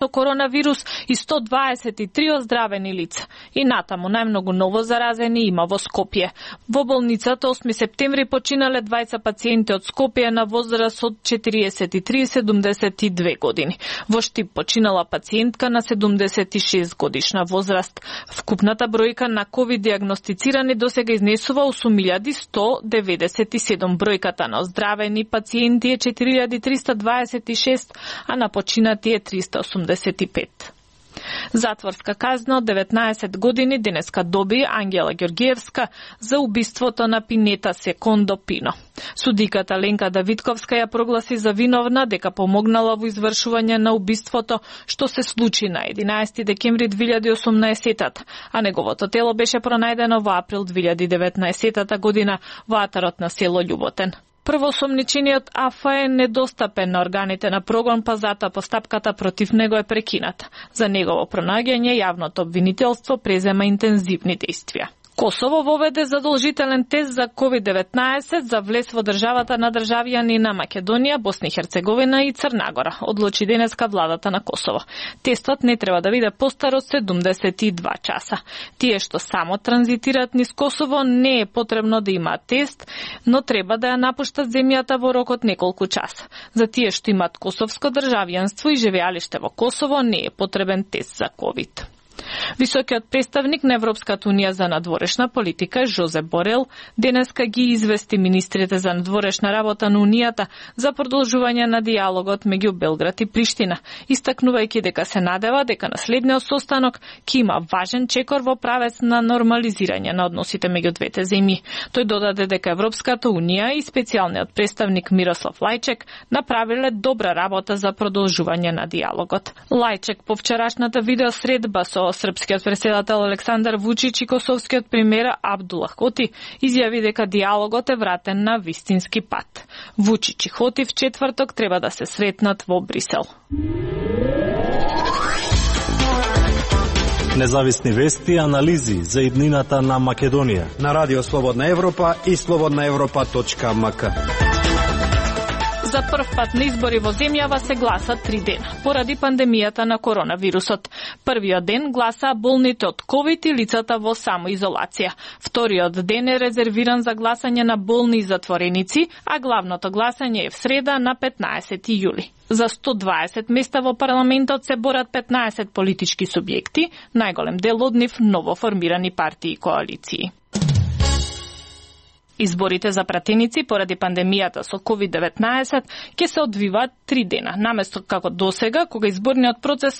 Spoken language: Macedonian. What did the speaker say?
со коронавирус и 123 оздравени лица. И натаму најмногу ново заразени има во Скопје. Во болницата 8 септември починале двајца пациенти од Скопје на возраст од 43 и 72 години. Во Штип починала пациентка на 76 годишна возраст. Вкупната бројка на ковид диагностицирани досега изнесува 8197. Бројката на оздравени пациенти е 4326, а на починати е 385. Затворска казна од 19 години денеска доби Ангела Ѓоргиевска за убиството на Пинета Секондо Пино. Судиката Ленка Давидковска ја прогласи за виновна дека помогнала во извршување на убиството што се случи на 11 декември 2018, а неговото тело беше пронајдено во април 2019 година во атарот на село Љуботен. Првоосомничениот АФА е недостапен на органите на прогон, па затоа постапката против него е прекината. За негово пронаѓање јавното обвинителство презема интензивни действија. Косово воведе задолжителен тест за COVID-19 за влез во државата на државјани на Македонија, Босна и Херцеговина и Црна Гора, одлучи денеска владата на Косово. Тестот не треба да биде постар од 72 часа. Тие што само транзитираат низ Косово не е потребно да имаат тест, но треба да ја напуштат земјата во рок од неколку часа. За тие што имаат косовско државјанство и живеалиште во Косово не е потребен тест за COVID. Високиот представник на Европската унија за надворешна политика Жозеп Борел денеска ги извести министрите за надворешна работа на унијата за продолжување на диалогот меѓу Белград и Приштина, истакнувајќи дека се надева дека на следниот состанок ќе има важен чекор во правец на нормализирање на односите меѓу двете земји. Тој додаде дека Европската унија и специјалниот представник Мирослав Лајчек направиле добра работа за продолжување на диалогот. Лајчек по вчерашната видеосредба со српскиот претседател Александар Вучич и косовскиот премиер Абдула Хоти изјави дека диалогот е вратен на вистински пат. Вучич и Хоти в четврток треба да се сретнат во Брисел. Независни вести и анализи за иднината на Македонија на Радио Слободна Европа и slobodnaevropa.mk. За прв пат на избори во земјава се гласа 3 дена, поради пандемијата на коронавирусот. Првиот ден гласаа болните од ковид и лицата во самоизолација. Вториот ден е резервиран за гласање на болни и затвореници, а главното гласање е в среда на 15 јули. За 120 места во парламентот се борат 15 политички субјекти, најголем дел од нив новоформирани партии и коалиции. Изборите за пратеници поради пандемијата со COVID-19 ќе се одвиваат 3 дена, наместо како досега, кога изборниот процес